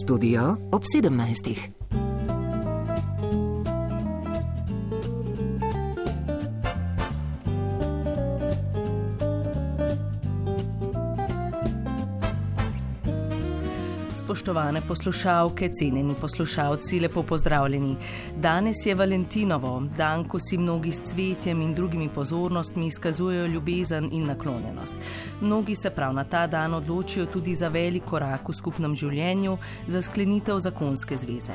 Studio ob 17. Spoštovane poslušalke, cenjeni poslušalci, lepo pozdravljeni. Danes je Valentinovo, dan, ko si mnogi s cvetjem in drugimi pozornostmi izkazujejo ljubezen in naklonjenost. Mnogi se prav na ta dan odločijo tudi za velik korak v skupnem življenju, za sklenitev zakonske zveze.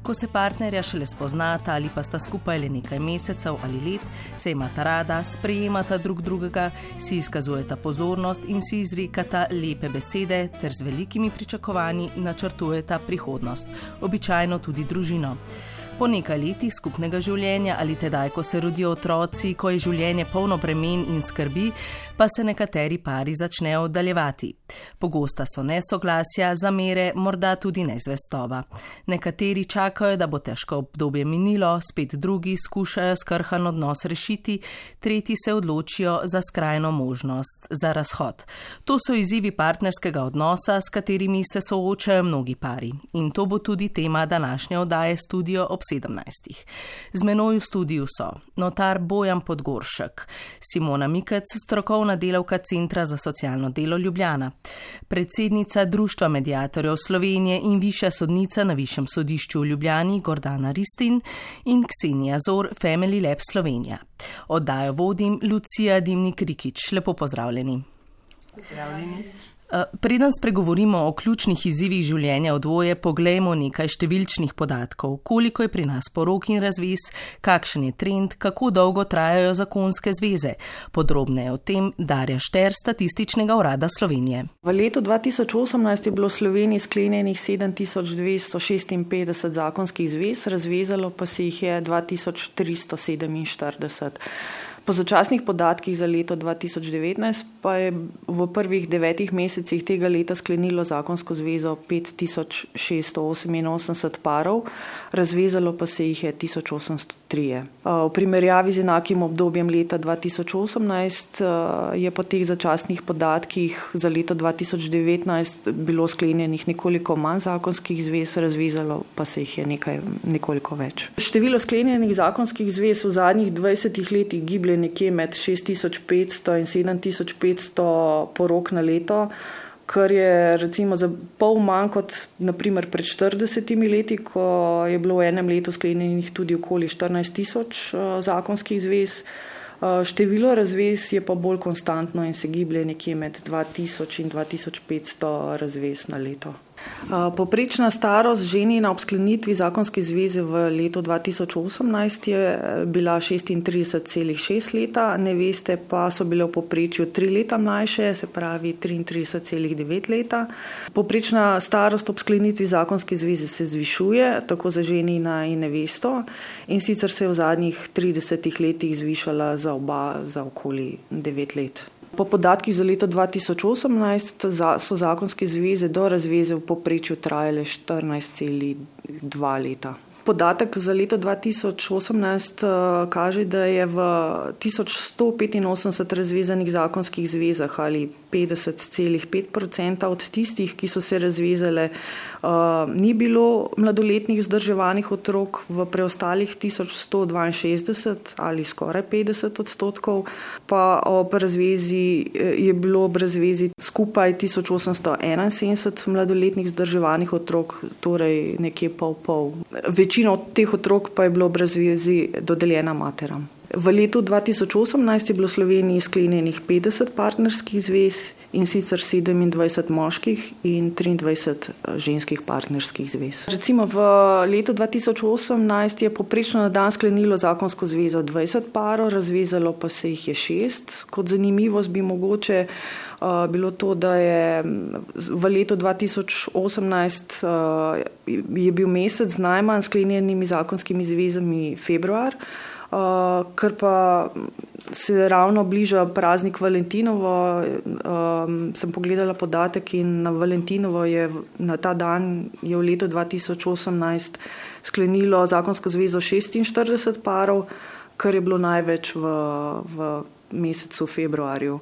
Ko se partnerja šele spoznata ali pa sta skupaj le nekaj mesecev ali let, se imata rada, sprejemata drug drugega, si izkazujeta pozornost in si izrekata lepe besede ter z velikimi pričakovanji načrtujeta prihodnost, običajno tudi družino. Po nekaj letih skupnega življenja ali tedaj, ko se rodijo otroci, ko je življenje polno bremen in skrbi, pa se nekateri pari začnejo oddaljevati. Pogosta so nesoglasja, zamere, morda tudi nezvestoba. Nekateri čakajo, da bo težko obdobje minilo, spet drugi skušajo skrhan odnos rešiti, tretji se odločijo za skrajno možnost, za razhod. To so izzivi partnerskega odnosa, s katerimi se soočajo mnogi pari. In to bo tudi tema današnje oddaje Studio ob 17. Z menoj v studiu so notar Bojan Podgoršek, Simona Mikec, strokovna delavka Centra za socialno delo Ljubljana, predsednica Društva mediatorjev Slovenije in višja sodnica na Višjem sodišču v Ljubljani Gordana Ristin in Ksenija Zor, Family Lab Slovenija. Oddajo vodim Lucija Dimnik-Rikić. Lepo pozdravljeni. Pozdravljeni. Preden spregovorimo o ključnih izzivih življenja v dvoje, poglejmo nekaj številčnih podatkov. Koliko je pri nas porok in razvez, kakšen je trend, kako dolgo trajajo zakonske zveze. Podrobneje o tem Darja Šter, Statističnega urada Slovenije. V letu 2018 je bilo v Sloveniji sklenjenih 7256 zakonskih zvez, razvezalo pa se jih je 2347. Po začasnih podatkih za leto 2019 pa je v prvih 9 mesecih tega leta sklenilo zakonsko zvezo 5688 parov, razvezalo pa se jih je 1803. V primerjavi z enakim obdobjem leta 2018 je po teh začasnih podatkih za leto 2019 bilo sklenjenih nekoliko manj zakonskih zvez, razvezalo pa se jih je nekoliko več. Število sklenjenih zakonskih zvez v zadnjih 20 letih giblje nekje med 6500 in 7500 porok na leto, kar je recimo za pol manj kot naprimer pred 40 leti, ko je bilo v enem letu sklenjenih tudi okoli 14 000 zakonskih zvez. Število razvez je pa bolj konstantno in se giblje nekje med 2000 in 2500 razvez na leto. Poprečna starost ženina ob sklenitvi zakonske zveze v letu 2018 je bila 36,6 leta, neveste pa so bile v povprečju 3 leta mlajše, se pravi 33,9 leta. Poprečna starost ob sklenitvi zakonske zveze se zvišuje, tako za ženina in nevesto, in sicer se je v zadnjih 30 letih zvišala za oba za okoli 9 let. Po podatkih za leto 2018 so zakonske zveze do razveze v povprečju trajale 14,2 leta. Podatek za leto 2018 kaže, da je v 1185 razvezanih zakonskih zvezah ali 50,5% od tistih, ki so se razvezale, ni bilo mladoletnih vzdrževanih otrok, v preostalih 1162 ali skoraj 50%, pa ob razvezi je bilo ob razvezi skupaj 1871 mladoletnih vzdrževanih otrok, torej nekje pol. Večina od teh otrok pa je bilo ob razvezi dodeljena materam. V letu 2018 je bilo v Sloveniji sklenjenih 50 partnerskih zvez, in sicer 27 moških in 23 ženskih partnerskih zvez. Recimo v letu 2018 je poprečno na dan sklenilo zakonsko zvezo 20 parov, razvezalo pa se jih je 6. Kot zanimivost bi mogoče bilo to, da je v letu 2018 je bil mesec z najmanj sklenjenimi zakonskimi zvezami februar, ker pa se ravno bliža praznik Valentinovo. Sem pogledala podatek in na Valentinovo na ta dan je v letu 2018 sklenilo zakonsko zvezo 46 parov, kar je bilo največ v mesecu februarju.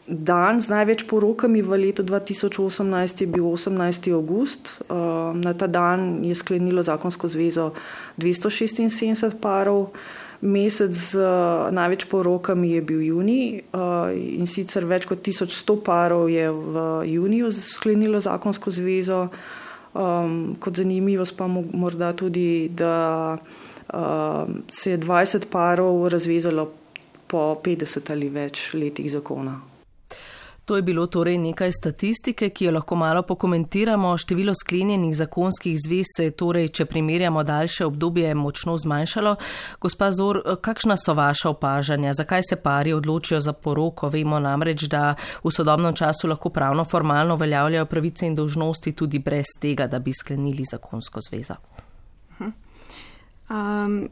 Dan z največ porokami v letu 2018 je bil 18. avgust. Na ta dan je sklenilo zakonsko zvezo 276 parov. Mesec z največ porokami je bil junij in sicer več kot 1100 parov je v juniju sklenilo zakonsko zvezo. Kot zanimivost pa morda tudi, da se je 20 parov razvezalo po 50 ali več letih zakona. To je bilo torej nekaj statistike, ki jo lahko malo pokomentiramo. Število sklenjenih zakonskih zvez se je torej, če primerjamo daljše obdobje, močno zmanjšalo. Gospa Zor, kakšna so vaša opažanja? Zakaj se pari odločijo za poroko? Vemo namreč, da v sodobnem času lahko pravno formalno uveljavljajo pravice in dolžnosti tudi brez tega, da bi sklenili zakonsko zvezo.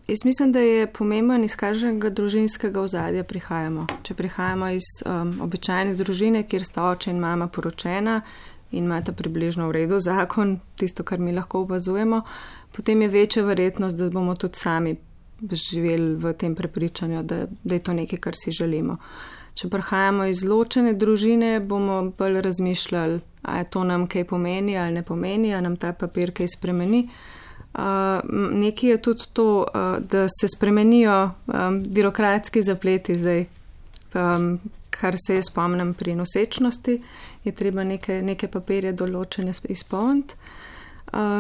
Jaz mislim, da je pomemben, iz kakšnega družinskega ozadja prihajamo. Če prihajamo iz običajne družine, kjer sta oče in mama poročena in imata približno v redu zakon, tisto, kar mi lahko opazujemo, potem je večja verjetnost, da bomo tudi sami živeli v tem prepričanju, da je to nekaj, kar si želimo. Če prihajamo iz ločene družine, bomo bolj razmišljali, a je to nam kaj pomeni ali ne pomeni, a nam ta papir kaj spremeni. Nekaj je tudi to, da se spremenijo birokratski zapleti zdaj, kar se je spomnim pri nosečnosti, je treba neke papirje določene izpolniti.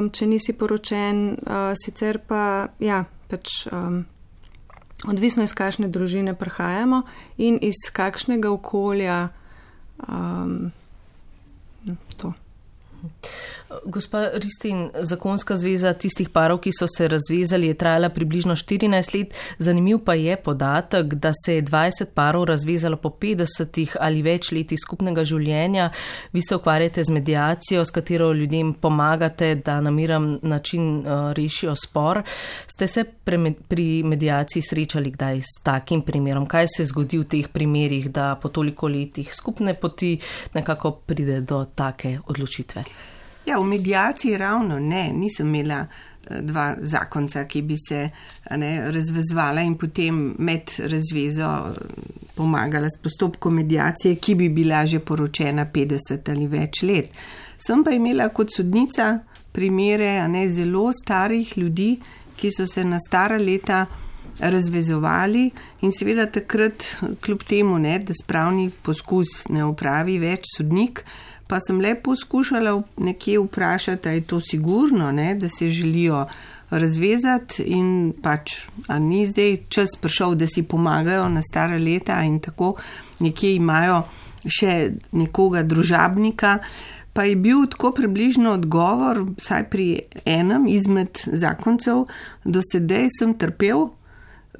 Če nisi poročen, sicer pa, odvisno iz kakšne družine prihajamo in iz kakšnega okolja to. Gospa Ristin, zakonska zveza tistih parov, ki so se razvezali, je trajala približno 14 let. Zanimiv pa je podatek, da se je 20 parov razvezalo po 50 ali več letih skupnega življenja. Vi se ukvarjate z mediacijo, s katero ljudem pomagate, da na miren način rešijo spor. Ste se pri mediaciji srečali kdaj s takim primerom? Kaj se zgodi v teh primerih, da po toliko letih skupne poti nekako pride do take odločitve? Ja, v mediaciji ravno ne. Nisem imela dva zakonca, ki bi se razvezvala in potem med razvezo pomagala s postopkom mediacije, ki bi bila že poročena 50 ali več let. Sem pa imela kot sodnica primere zelo starih ljudi, ki so se na stara leta razvezovali in seveda takrat, kljub temu, da spravni poskus ne opravi več sodnik, pa sem le poskušala nekje vprašati, a je to sigurno, da se želijo razvezati in a ni zdaj čas prišel, da si pomagajo na stara leta in tako nekje imajo še nekoga družabnika. Pa je bil tako približno odgovor, vsaj pri enem izmed zakoncev, do sedaj sem trpel,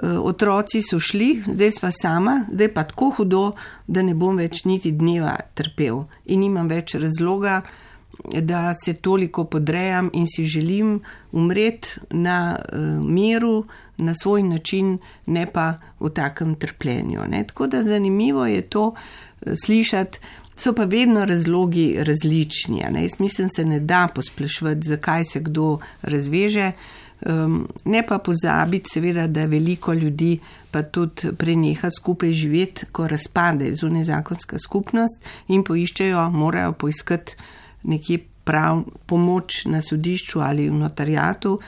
otroci so šli, zdaj sva sama, zdaj pa tako hudo, da ne bom več niti dneva trpel in nimam več razloga, da se toliko podrejam in si želim umreti na miru, na svoj način, ne pa v takem trpljenju. Tako da zanimivo je to slišati, so pa vedno razlogi različni. Jaz mislim, se ne da posploševati, zakaj se kdo razveže. Ne pa pozabiti seveda, da veliko ljudi pa tudi preneha skupaj živeti, ko razpade zunajzakonska skupnost in morajo poiskati nekje prav pomoč na sodišču ali v notariatu,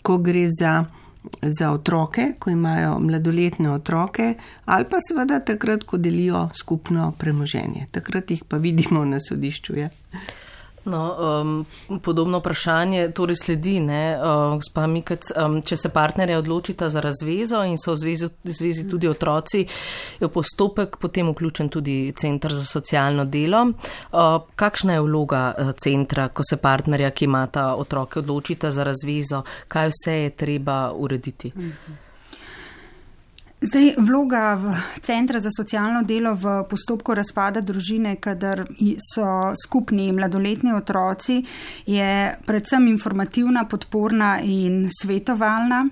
ko gre za otroke, ko imajo mladoletne otroke ali pa seveda takrat, ko delijo skupno premoženje. Takrat jih pa vidimo na sodišču. Ja. Podobno vprašanje torej sledi, gospa Mikec, če se partnerja odločita za razvezo in so v zvezi tudi otroci, je v postopek potem vključen tudi Center za socialno delo. Kakšna je vloga centra, ko se partnerja, ki imata otroke, odločita za razvezo? Kaj vse je treba urediti? Zdaj, vloga Centra za socialno delo v postopku razpada družine, kadar so skupni mladoletni otroci, je predvsem informativna, podporna in svetovalna.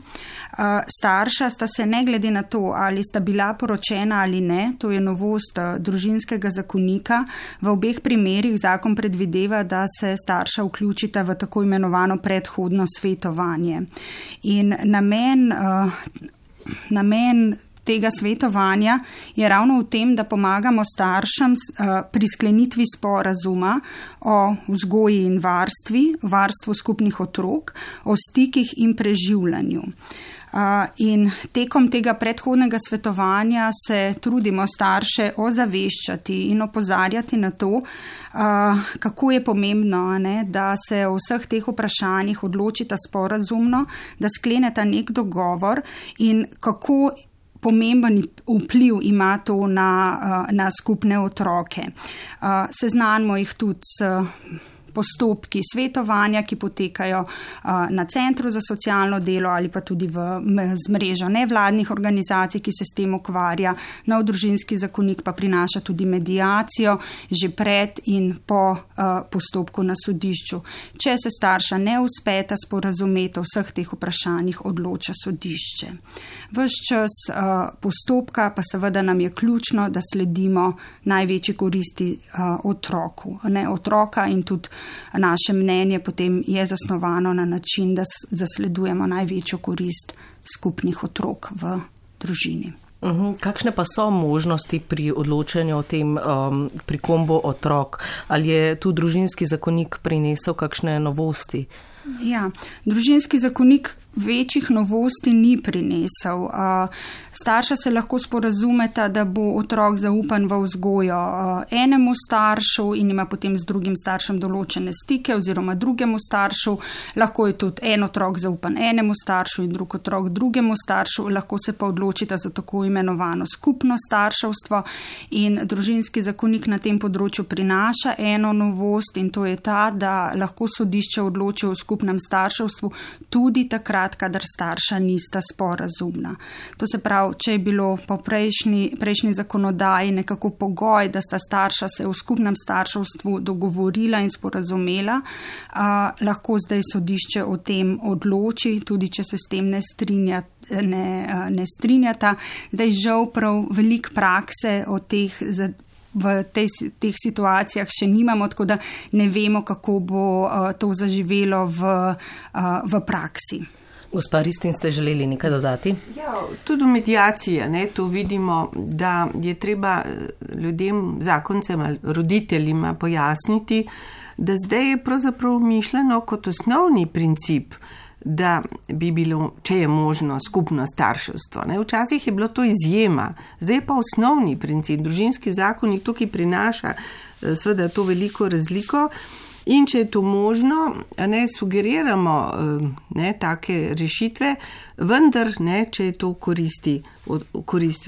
Starša sta se ne glede na to, ali sta bila poročena ali ne, to je novost družinskega zakonika. V obeh primerih zakon predvideva, da se starša vključita v tako imenovano predhodno svetovanje. In namen tega svetovanja je ravno v tem, da pomagamo staršem pri sklenitvi sporazuma o vzgoji in varstvu skupnih otrok, o stikih in preživljanju. In tekom tega predhodnega svetovanja se trudimo starše ozaveščati in opozarjati na to, kako je pomembno, da se o vseh teh vprašanjih odločita sporazumno, da skleneta nek dogovor in kako pomemben vpliv ima to na skupne otroke. Seznanimo jih tudi s postopki svetovanja, ki potekajo na Centru za socialno delo ali pa tudi z mrežo nevladnih organizacij, ki se s tem ukvarja. Nov družinski zakonik pa prinaša tudi mediacijo že pred in po postopku na sodišču. Če se starša ne uspeta sporazumeti o vseh teh vprašanjih, odloča sodišče. Ves čas postopka pa seveda nam je ključno, da sledimo največji koristi otroka in tudi naše mnenje potem je zasnovano na način, da zasledujemo največjo korist skupnih otrok v družini. Kakšne pa so možnosti pri odločanju o tem prikombo otrok? Ali je tu družinski zakonik prinesel kakšne novosti? Ja, družinski zakonik večjih novosti ni prinesel. Starša se lahko sporazumeta, da bo otrok zaupan v vzgojo enemu staršu in ima potem z drugim staršem določene stike oziroma drugemu staršu. Lahko je tudi en otrok zaupan enemu staršu in drug otrok drugemu staršu. Lahko se pa odločita za tako imenovano skupno starševstvo in družinski zakonik na tem področju prinaša eno novost in to je ta, da lahko sodišče odloči o skupnem starševstvu tudi takrat, kadar starša nista sporazumna. To se pravi, če je bilo po prejšnji zakonodaji nekako pogoj, da sta starša se v skupnem starševstvu dogovorila in sporazumela, lahko zdaj sodišče o tem odloči, tudi če se s tem ne strinjata. Zdaj žal prav veliko prakse o teh v teh situacijah še nimamo, tako da ne vemo, kako bo to zaživelo v praksi. Gospa Ristin, ste želeli nekaj dodati? Ja, tudi v medijaciji, to vidimo, da je treba ljudem, zakoncem ali roditeljima pojasniti, da zdaj je pravzaprav mišljeno kot osnovni princip, da bi bilo, če je možno, skupno starševstvo. Včasih je bilo to izjema, zdaj je pa osnovni princip. Družinski zakonik tukaj prinaša seveda to veliko razliko in če je to možno, sugeriramo take rešitve, vendar če je to koristi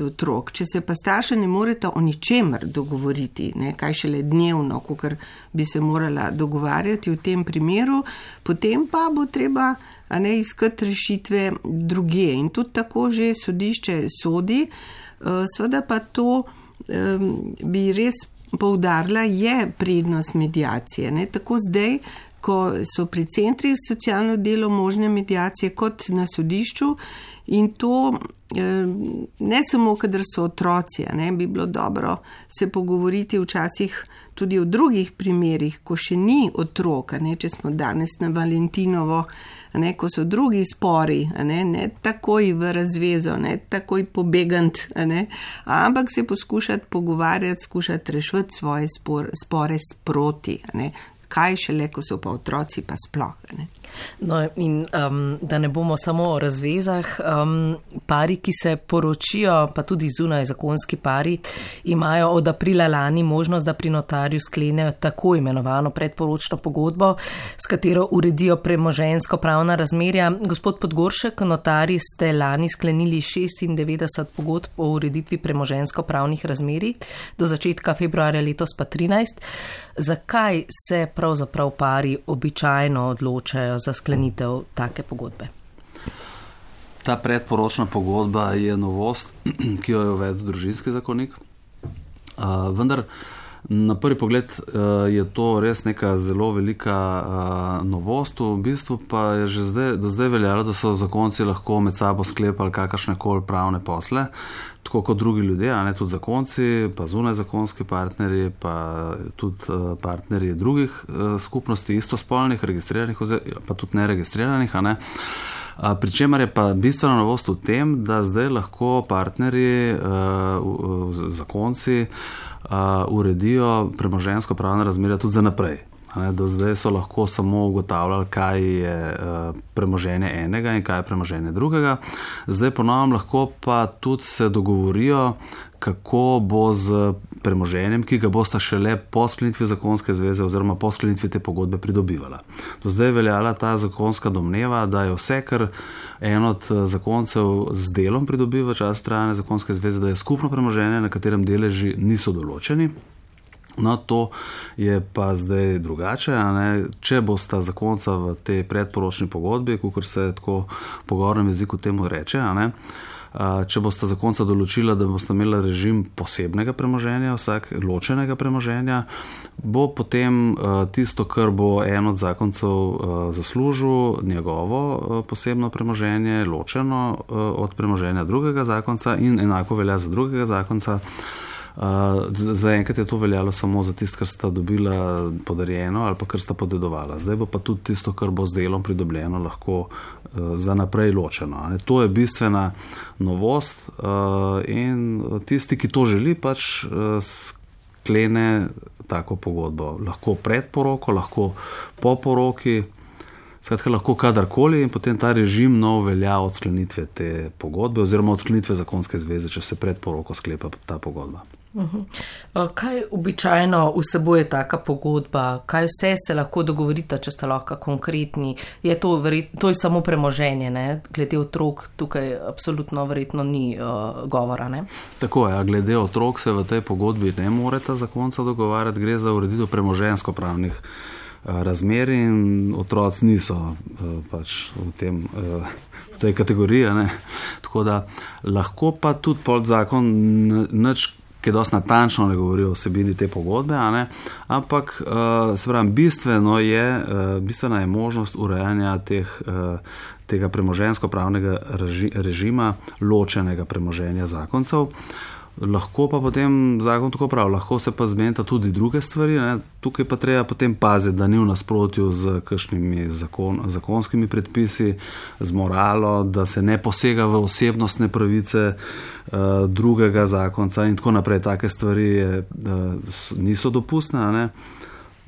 otrok. Če se pa starša ne moreta o ničemer dogovoriti, kaj šele dnevno, kakor bi se morala dogovarjati v tem primeru, potem pa bo treba iskati rešitve druge. In tudi tako že sodišče sodi, seveda pa to bi res poudarila, je prednost mediacije. Tako zdaj, ko so pri centrih socialno delo možne mediacije kot na sodišču in to ne samo, kadar so otroci, bi bilo dobro se pogovoriti včasih tudi o drugih primerih, ko še ni otrok, če smo danes na Valentinovo, ko so drugi spori, ne takoj v razvezo, ne takoj pobegant, ampak se poskušati pogovarjati, skušati rešiti svoje spore sproti, kaj šele, ko so pa otroci pa sploh. No in da ne bomo samo o razvezah, pari, ki se poročijo, pa tudi zunaj zakonski pari, imajo od aprila lani možnost, da pri notarju sklenejo tako imenovano predporočno pogodbo, s katero uredijo premoženjsko pravna razmerja. Gospod Podgoršek, notari ste lani sklenili 96 pogodb o ureditvi premoženjsko pravnih razmerij, do začetka februarja letos pa 13. Zakaj se pravzaprav pari običajno odločajo za sklenitev take pogodbe? Ta predporočna pogodba je novost, ki jo je uvedel družinski zakonik. Vendar na prvi pogled je to res neka zelo velika novost. V bistvu pa je že do zdaj veljalo, da so zakonci lahko med sabo sklepali kakršnekoli pravne posle, tako kot drugi ljudje, tudi zakonci, pa zunaj zakonski partnerji, pa tudi partnerji drugih skupnosti, istospolnih, registriranih, pa tudi neregistriranih. Pričemer je pa bistvena novost v tem, da zdaj lahko partnerji, zakonci, uredijo premoženjsko pravne razmerja tudi za naprej. Do zdaj so lahko samo ugotavljali, kaj je premoženje enega in kaj je premoženje drugega. Zdaj ponovno lahko pa tudi se dogovorijo, kako bo z premoženjem, ki ga bosta šele po sklenitvi zakonske zveze oziroma po sklenitvi te pogodbe pridobivala. Do zdaj je veljala ta zakonska domneva, da je vse, kar en od zakoncev z delom pridobiva v času trajanja zakonske zveze, da je skupno premoženje, na katerem deleži niso določeni. No, to je pa zdaj drugače, Če bosta zakonca v tej predporočni pogodbi, kakor se tako v pogovornem jeziku temu reče, če bosta zakonca določila, da bosta imela režim posebnega premoženja, vsak ločenega premoženja, bo potem tisto, kar bo en od zakoncev zaslužil, njegovo posebno premoženje, ločeno od premoženja drugega zakonca in enako velja za drugega zakonca. Zaenkrat je to veljalo samo za tisto, kar sta dobila podarjeno ali pa kar sta podedovala. Zdaj bo pa tudi tisto, kar bo z delom pridobljeno, lahko za naprej ločeno. To je bistvena novost in tisti, ki to želi, pač sklene tako pogodbo. Lahko pred poroko, lahko po poroki, skratka lahko kadarkoli in potem ta režim nov velja od sklenitve te pogodbe oziroma od sklenitve zakonske zveze, če se pred poroko sklepa ta pogodba. Kaj običajno vsebuje taka pogodba? Kaj vse se lahko dogovorita, če sta lahko konkretni? Je to je samo premoženje, ne? Glede otrok tukaj absolutno verjetno ni govora, ne? Tako je, glede otrok se v tej pogodbi ne moreta zakonca dogovarjati, gre za ureditev premoženjsko pravnih razmer in otroci niso pač v tej kategoriji, ne? Tako da lahko pa tudi podzakon nič, ki dosti natančno ne govori o vsebini te pogodbe, ampak se pravi, bistvena je možnost urejanja tega premoženjsko pravnega režima ločenega premoženja zakoncev. Lahko pa potem zakon tako pravi, lahko se pa zmenita tudi druge stvari, Tukaj pa treba potem paziti, da ni v nasprotju z kakšnimi zakonskimi predpisi, z moralo, da se ne posega v osebnostne pravice drugega zakonca in tako naprej. Take stvari niso dopustne,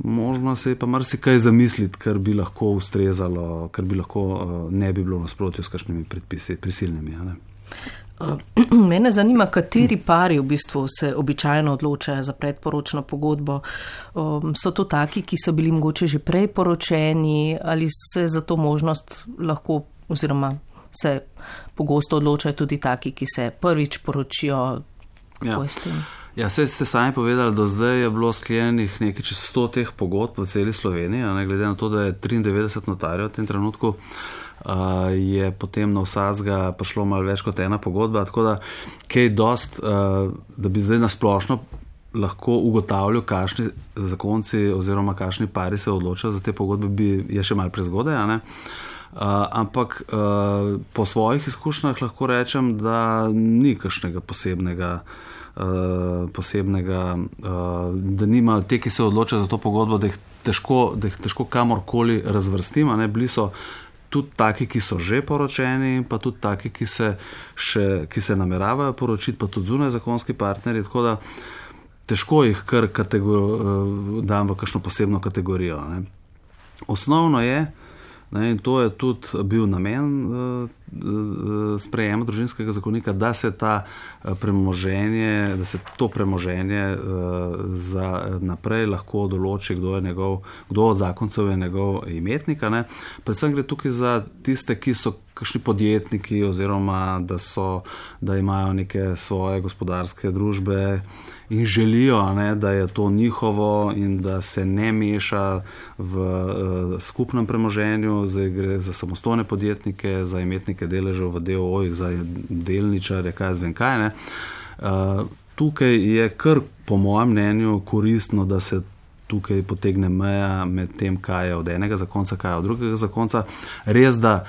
Možno se je pa marsikaj zamisliti, kar bi lahko ustrezalo, kar bi lahko ne bi bilo v nasprotju s kakšnimi predpisi prisilnimi, Mene zanima, kateri pari v bistvu se običajno odločajo za predporočno pogodbo. So to taki, ki so bili mogoče že prej poročeni ali se za to možnost lahko oziroma se pogosto odločajo tudi taki, ki se prvič poročijo? Ja, saj ste sami povedali, do zdaj je bilo sklenjenih nekaj čez 100 teh pogodb v celi Sloveniji, glede na to, da je 93 notarjev v tem trenutku, je potem na vsakega prišlo malo več kot ena pogodba, tako da kaj dost, da bi zdaj nasplošno lahko ugotavljal, kakšni zakonci oziroma kakšni pari se odločajo za te pogodbe, je še malo prezgodaj, ampak po svojih izkušnjah lahko rečem, da ni kakšnega posebnega, da nima te, ki se odločajo za to pogodbo, da jih težko kamorkoli razvrstim, bili so tudi taki, ki so že poročeni, pa tudi taki, ki se nameravajo poročiti, pa tudi zunaj zakonski partnerji, tako da težko jih kar dam v kakšno posebno kategorijo. Osnovno je, in to je tudi bil namen sprejema družinskega zakonika, da se to premoženje za naprej lahko določi, kdo od zakoncev je njegov imetnik. Predvsem gre tukaj za tiste, ki so kakšni podjetniki oziroma da imajo neke svoje gospodarske družbe in želijo, da je to njihovo in da se ne meša v skupnem premoženju. Zdaj gre za samostojne podjetnike, za imetnike deležev v DOO-jih, za delničarje, kaj zvem kaj. Tukaj je kar po mojem mnenju koristno, da se tukaj potegne meja med tem, kaj je od enega zakonca, kaj je od drugega zakonca. Res, da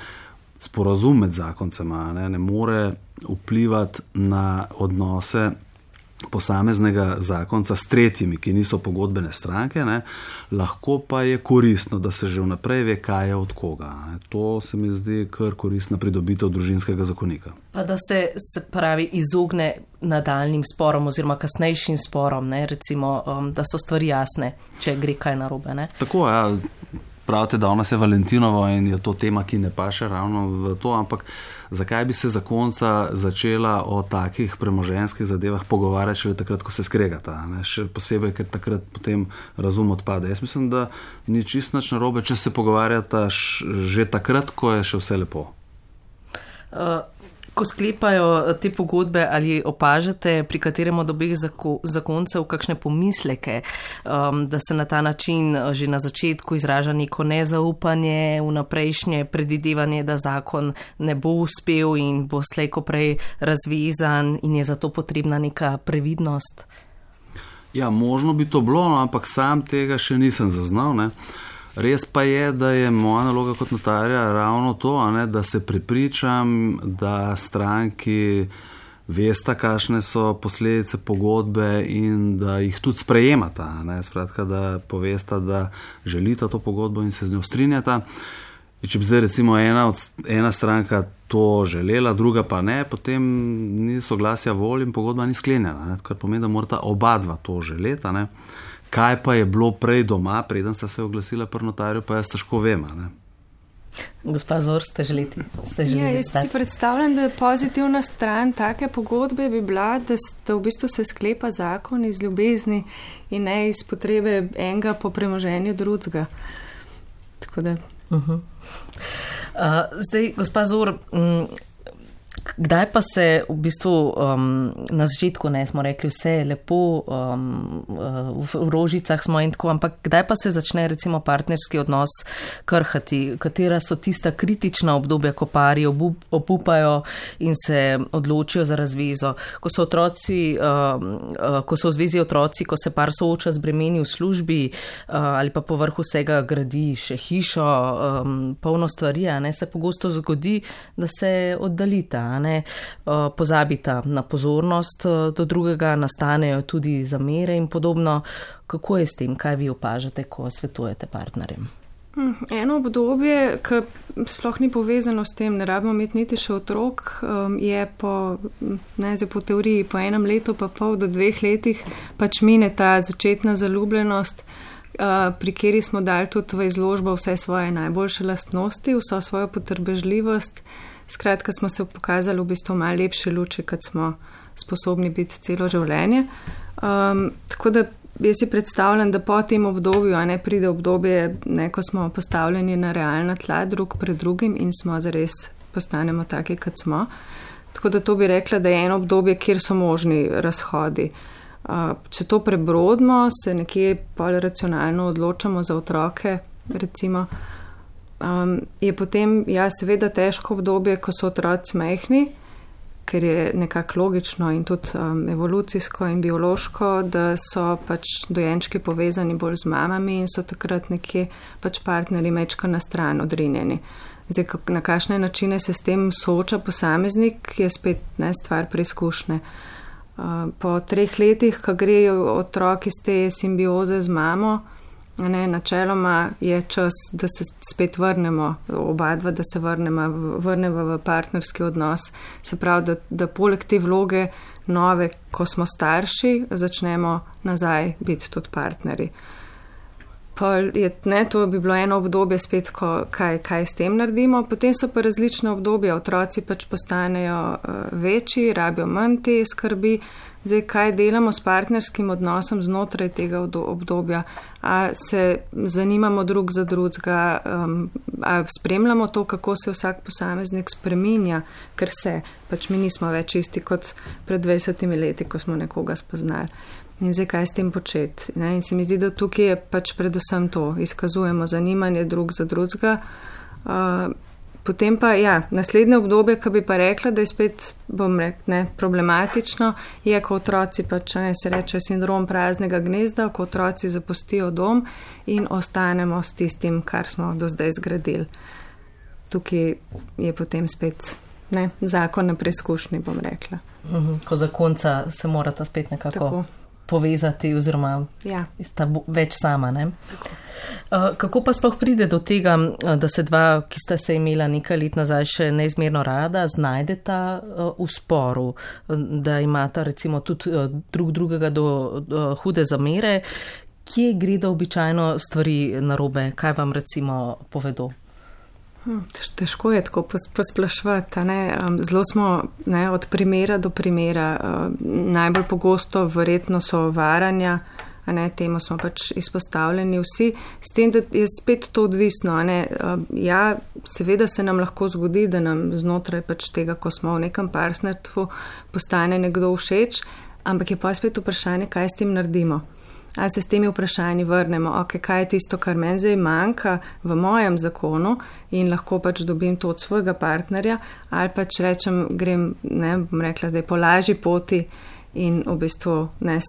sporazum med zakoncema ne more vplivati na odnose posameznega zakonca s tretjimi, ki niso pogodbene stranke, ne, lahko pa je koristno, da se že vnaprej ve, kaj je od koga. Ne. To se mi zdi kar koristna pridobitev družinskega zakonika. Pa da se pravi izogne nadaljnim sporom oziroma kasnejšim sporom, ne, recimo, da so stvari jasne, če gre kaj narobe. Ne. Tako, ja. Pravite, da ona se Valentinovo in je to tema, ki ne paše ravno v to, ampak zakaj bi se zakonca začela o takih premoženjskih zadevah pogovarjati šele takrat, ko se skregata, ne? Še posebej, ker takrat potem razum odpade. Jaz mislim, da ni čisto nič narobe, če se pogovarjata že takrat, ko je še vse lepo. Ko sklepajo te pogodbe, ali opažate pri katerem od obeh zakoncev kakšne pomisleke, da se na ta način že na začetku izraža neko nezaupanje, vnaprejšnje predvidevanje, da zakon ne bo uspel in bo slej ko prej razvezan in je zato potrebna neka previdnost? Ja, možno bi to bilo, ampak sam tega še nisem zaznal, ne. Res pa je, da je moja naloga kot notarja ravno to, ne, da se prepričam, da stranki vesta, kakšne so posledice pogodbe in da jih tudi sprejemata. Ne. Skratka, da povesta, da želita to pogodbo in se z njo strinjata. In če bi zdaj recimo ena stranka to želela, druga pa ne, potem ni soglasja volj in pogodba ni sklenjena, ne, kar pomeni, da morata oba dva to želeta. Ne. Kaj pa je bilo prej doma, preden sta se oglasila pri notarju, pa jaz težko vem. Ne? Gospa Zor, ste želeli? Jaz si predstavljam, da je pozitivna stran take pogodbe bi bila, da v bistvu se sklepa zakon iz ljubezni in ne iz potrebe enega po premoženju drugega. Tako da. Zdaj, gospa Zor, kdaj pa se v bistvu na začetku, ne, smo rekli, vse je lepo, v rožicah smo in tako, ampak kdaj pa se začne recimo partnerski odnos krhati? Katera so tista kritična obdobja, ko pari obupajo in se odločijo za razvezo? Ko so v zvezi otroci, ko se par sooča z bremeni v službi ali pa povrhu vsega gradi še hišo, polno stvari, ne, se pogosto zgodi, da se oddalita. Ne, pozabita na pozornost do drugega, nastanejo tudi zamere in podobno. Kako je s tem, kaj vi opažate, ko svetujete partnerjem? Eno obdobje, ki sploh ni povezano s tem, ne rabimo imeti niti še otrok, je po teoriji po 1 letu pa pol do 2 letih pač mine ta začetna zaljubljenost, pri kateri smo dali tudi v izložbo vse svoje najboljše lastnosti, vso svojo potrpežljivost. Skratka, smo se pokazali v bistvu malo lepše luči, kot smo sposobni biti celo življenje. Tako da jaz si predstavljam, da po tem obdobju, a ne pride obdobje, ne, ko smo postavljeni na realna tla drug pred drugim in smo zares postanemo taki, kot smo. Tako da to bi rekla, da je eno obdobje, kjer so možni razhodi. Če to prebrodimo, se nekje bolj racionalno odločamo za otroke, recimo, je potem, ja, seveda težko obdobje, ko so otroci majhni, ker je nekako logično in tudi evolucijsko in biološko, da so pač dojenčki povezani bolj z mamami in so takrat nekje pač partnerji mečka na stran odrinjeni. Zdaj, na kakšne načine se s tem sooča posameznik, je spet ne stvar preizkušnje. Po 3 letih, ko grejo otroci iz te simbioze z mamo, ne, načeloma je čas, da se spet vrnemo, oba dva, da se vrnemo v partnerski odnos. Se pravi, da poleg te vloge nove, ko smo starši, začnemo nazaj biti tudi partnerji. To bi bilo eno obdobje spet, kaj s tem naredimo. Potem so pa različne obdobja. Otroci pač postanejo večji, rabijo manj te skrbi. Zdaj, kaj delamo s partnerskim odnosom znotraj tega obdobja? A se zanimamo drug za drugega, a spremljamo to, kako se vsak posameznik spreminja, ker se, pač mi nismo več isti kot pred 20 leti, ko smo nekoga spoznali. In zdaj, kaj s tem početi? Ne? In se mi zdi, da tukaj je pač predvsem to, izkazujemo zanimanje drug za drugega. Potem pa, ja, naslednje obdobje, ki bi pa rekla, da je spet, problematično, je, ko otroci pač, se reče, sindrom praznega gnezda, ko otroci zapustijo dom in ostanemo s tistim, kar smo do zdaj zgradili. Tukaj je potem spet zakon na preizkušnji, bom rekla. Ko zakonca se morata spet nekako povezati oziroma sta več sama. Ne? Kako pa sploh pride do tega, da se dva, ki sta se imela nekaj let nazaj še neizmerno rada, znajdeta v sporu, da imata recimo tudi drugega do hude zamere? Kje gredo običajno stvari narobe? Kaj vam recimo povedo? Težko je tako posplašvati. Zelo smo od primera do primera. Najbolj pogosto verjetno so varanja, temu smo pač izpostavljeni vsi. S tem, da je spet to odvisno. Ja, seveda se nam lahko zgodi, da nam znotraj pač tega, ko smo v nekem partnerstvu, postane nekdo všeč, ampak je pa spet vprašanje, kaj s tem naredimo. Ali se s temi vprašanji vrnemo, kaj je tisto, kar meni zdaj manjka v mojem zakonu in lahko pač dobim to od svojega partnerja, ali pač rečem, grem, bom rekla, da je po lažji poti in v bistvu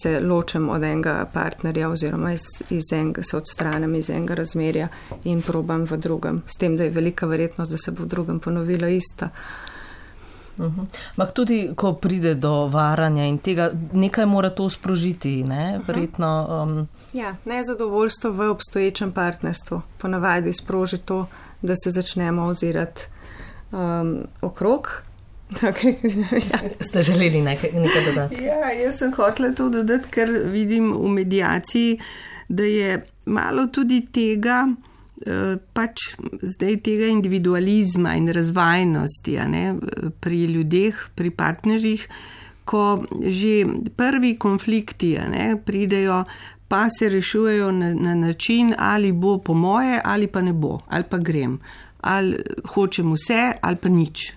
se ločem od enega partnerja oziroma se odstranim iz enega razmerja in probam v drugem. S tem, da je velika verjetnost, da se bo v drugem ponovilo isto. Ampak tudi, ko pride do varanja in tega, nekaj mora to sprožiti, verjetno. Ja, nezadovoljstvo v obstoječem partnerstvu ponavadi sproži to, da se začnemo ozirati okrog. Ste želeli nekaj dodati? Ja, jaz sem hotela to dodati, ker vidim v mediaciji, da je malo tudi tega, pač zdaj tega individualizma in razvajnosti pri ljudeh, pri partnerjih, ko že prvi konflikti pridejo, pa se rešujejo na način, ali bo po moje, ali pa ne bo, ali pa grem, ali hočem vse, ali pa nič.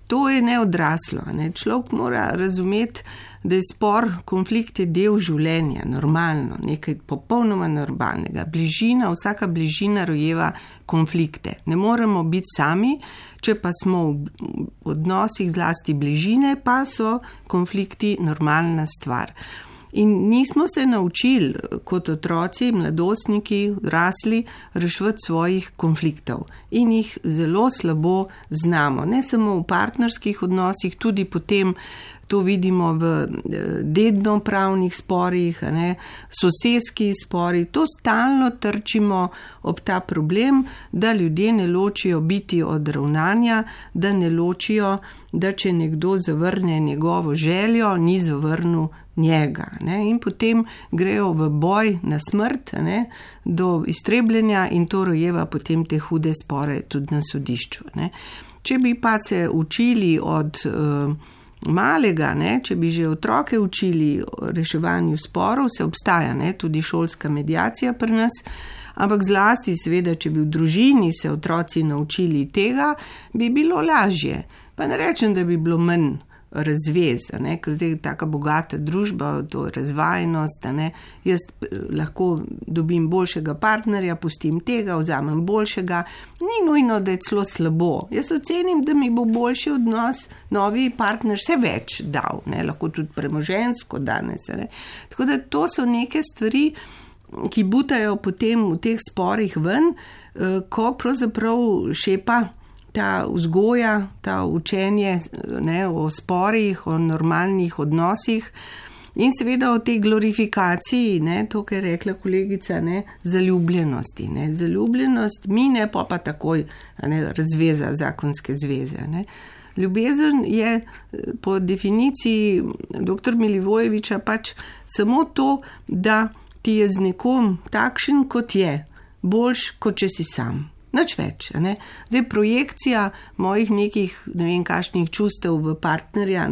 To je neodraslo. Človek mora razumeti, da je spor, konflikt je del življenja, normalno, nekaj popolnoma normalnega. Vsaka bližina rojeva konflikte. Ne moremo biti sami, če pa smo v odnosih zlasti bližine, pa so konflikti normalna stvar. In nismo se naučili kot otroci, mladostniki, rasli, reševati svojih konfliktov. In jih zelo slabo znamo. Ne samo v partnerskih odnosih, tudi potem to vidimo v dednopravnih sporih, sosedski spori. To stalno trčimo ob ta problem, da ljudje ne ločijo biti od ravnanja, da ne ločijo, da če nekdo zavrne njegovo željo, ni zavrnil njega. In potem grejo v boj na smrt, do iztrebljenja in to rojeva potem te hude spore tudi na sodišču. Če bi pa se učili od malega, če bi že otroke učili o reševanju sporov, se obstaja tudi šolska mediacija pri nas, ampak zlasti seveda, če bi v družini se otroci naučili tega, bi bilo lažje. Pa ne rečem, da bi bilo manj razvez, ker zdaj je taka bogata družba, to je razvajenost, jaz lahko dobim boljšega partnerja, pustim tega, vzamem boljšega, ni nujno, da je celo slabo. Jaz ocenim, da mi bo boljši odnos, novi partner vse več dal, lahko tudi premoženjsko danes. Tako da to so neke stvari, ki butajo potem v teh sporih ven, ko pravzaprav šepa ta vzgoja, ta učenje o sporih, o normalnih odnosih in seveda o tej glorifikaciji, to, kar je rekla kolegica, zaljubljenosti. Zaljubljenost mine, pa takoj razveza, zakonske zveze. Ljubezen je po definiciji dr. Milivojeviča pač samo to, da ti je z nekom takšen, kot je, boljš, kot če si sam. Nič več. Zdaj projekcija mojih nekih, ne vem, kakšnih čustev v partnerja,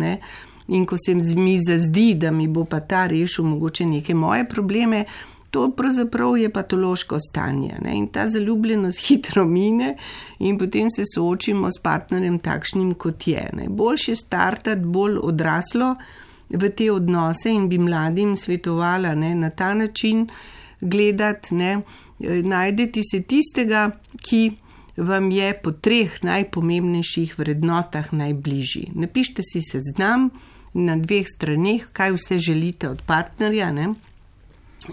in ko se mi zazdi, da mi bo pa ta rešil mogoče neke moje probleme, to pravzaprav je patološko stanje. In ta zaljubljenost hitro mine in potem se soočimo s partnerjem takšnim, kot je. Boljše startati bolj odraslo v te odnose in bi mladim svetovala na ta način gledati, najdeti se tistega, ki vam je po 3 najpomembnejših vrednotah najbližji. Napišite si seznam na 2 straneh, kaj vse želite od partnerja,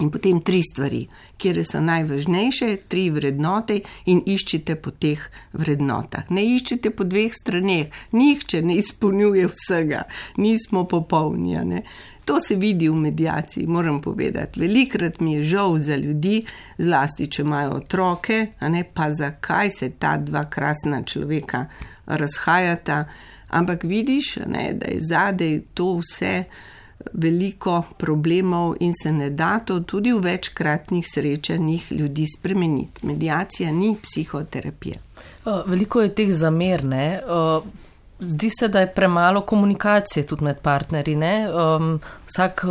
In potem 3 stvari, kjer so najvažnejše, 3 vrednote in iščite po teh vrednotah. Ne iščite po 2 straneh, nihče ne izpolnjuje vsega, nismo popolni. Ne? To se vidi v mediaciji, moram povedati. Velikrat mi je žal za ljudi, zlasti če imajo otroke, pa zakaj se ta 2 krasna človeka razhajata. Ampak vidiš, da je zadej to vse veliko problemov in se ne da to tudi v večkratnih srečanjih ljudi spremeniti. Mediacija ni psihoterapija. Veliko je teh zamer, ne? Zdi se, da je premalo komunikacije tudi med partnerji, ne? Vsak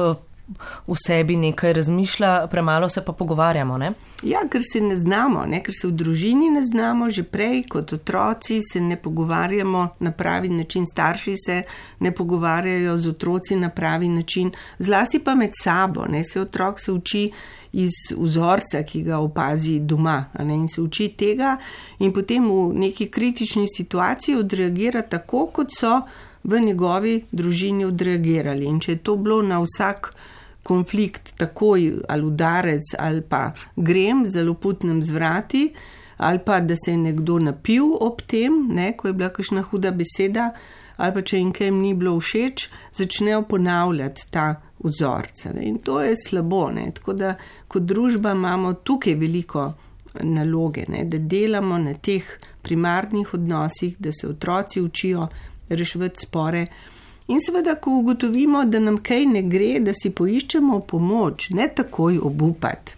v sebi nekaj razmišlja, premalo se pa pogovarjamo, ne? Ja, ker se ne znamo, ker se v družini ne znamo, že prej kot otroci se ne pogovarjamo na pravi način, starši se ne pogovarjajo z otroci na pravi način, zlasti pa med sabo, se otrok se uči iz vzorca, ki ga opazi doma, in se uči tega in potem v neki kritični situaciji odreagira tako, kot so v njegovi družini odreagirali. In če je to bilo na vsak konflikt takoj ali udarec ali pa grem zelo putnem zvrati ali pa da se je nekdo napil ob tem, ko je bila kakšna huda beseda ali pa če jim kaj ni bilo všeč, začnejo ponavljati ta vzorca. In to je slabo. Tako da kot družba imamo tukaj veliko naloge, da delamo na teh primarnih odnosih, da se otroci učijo reševati spore. In seveda, ko ugotovimo, da nam kaj ne gre, da si poiščemo pomoč, ne takoj obupati.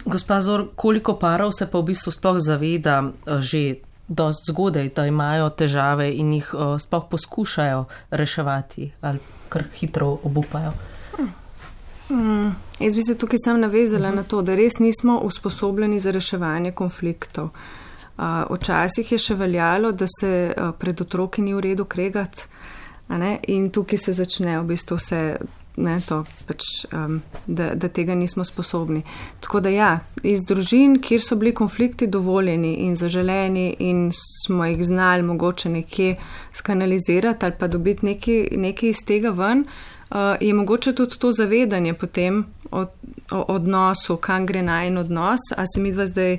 Gospa Zor, koliko parov se pa v bistvu sploh zaveda že dosti zgodaj, da imajo težave in jih sploh poskušajo reševati ali kar hitro obupajo? Jaz bi se tukaj sam navezala na to, da res nismo usposobljeni za reševanje konfliktov. Včasih je še veljalo, da se pred otroki ni v redu kregati, in tukaj se začne v bistvu vse, da tega nismo sposobni. Tako da ja, iz družin, kjer so bili konflikti dovoljeni in zaželeni in smo jih znali mogoče nekje skanalizirati ali pa dobiti nekaj iz tega ven, je mogoče tudi to zavedanje potem o odnosu, kam gre najin odnos, a se midva zdaj,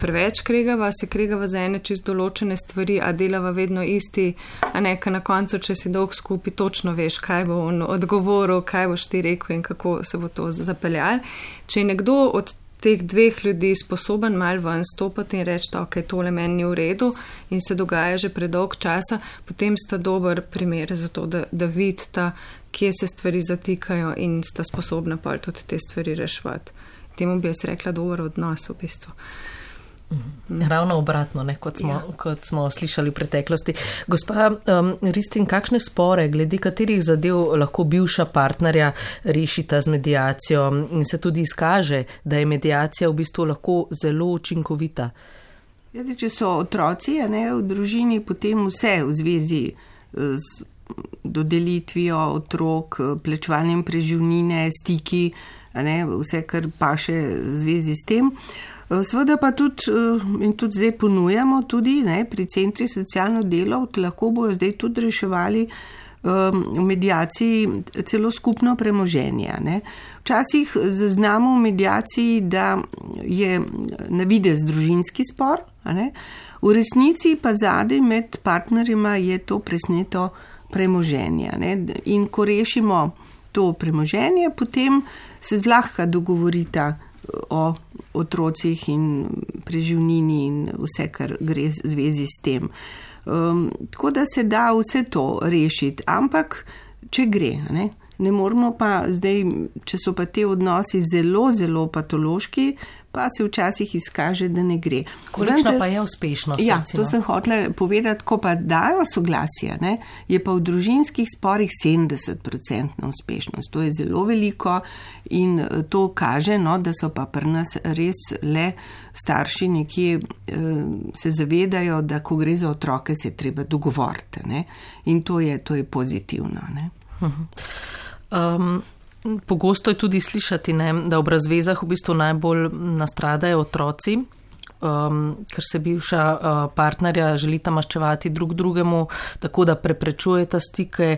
preveč kregava, se kregava za ene čist določene stvari, a delava vedno isti, a ka na koncu, če si dolg skupaj, točno veš, kaj bo on odgovoril, kaj boš ti rekel in kako se bo to zapeljal. Če je nekdo od teh 2 ljudi sposoben mal ven stopati in reči, ok, tole meni ni v redu in se dogaja že predolg časa, potem sta dober primer za to, da vidita, kje se stvari zatikajo in sta sposobna pa tudi te stvari reševati. Temu bi jaz rekla dober odnos v bistvu. Ravno obratno, kot smo slišali v preteklosti. Gospa Ristin, kakšne spore, glede katerih zadev lahko bivša partnerja rešita z mediacijo in se tudi izkaže, da je mediacija v bistvu lahko zelo učinkovita? Če so otroci v družini, potem vse v zvezi z dodelitvijo otrok, plačevanjem preživnine, stiki, vse, kar paše v zvezi s tem. Seveda pa tudi, in tudi zdaj ponujamo tudi pri centri socialno delo, lahko bojo zdaj tudi reševali v mediaciji celo skupno premoženje. Včasih zaznamo v mediaciji, da je na videz družinski spor, v resnici pa zadaj med partnerima je to presneto premoženje. In ko rešimo to premoženje, potem se zlahka dogovorita o otrocih in preživnini in vse, kar gre v zvezi s tem. Tako da se da vse to rešiti, ampak če gre, ne moramo pa zdaj, če so pa te odnosi zelo, zelo patološki, pa se včasih izkaže, da ne gre. Kolikšna pa je uspešnost? Ja, to sem hotela povedati, ko pa dajo soglasje, je pa v družinskih sporih 70% uspešnost. To je zelo veliko in to kaže, da so pa pri nas res le starši nekje se zavedajo, da ko gre za otroke, se je treba dogovoriti. In to je pozitivno. Pogosto je tudi slišati, da ob razvezah v bistvu najbolj nastradajo otroci. ker se bivša partnerja želita maščevati drug drugemu, tako da preprečujeta stike.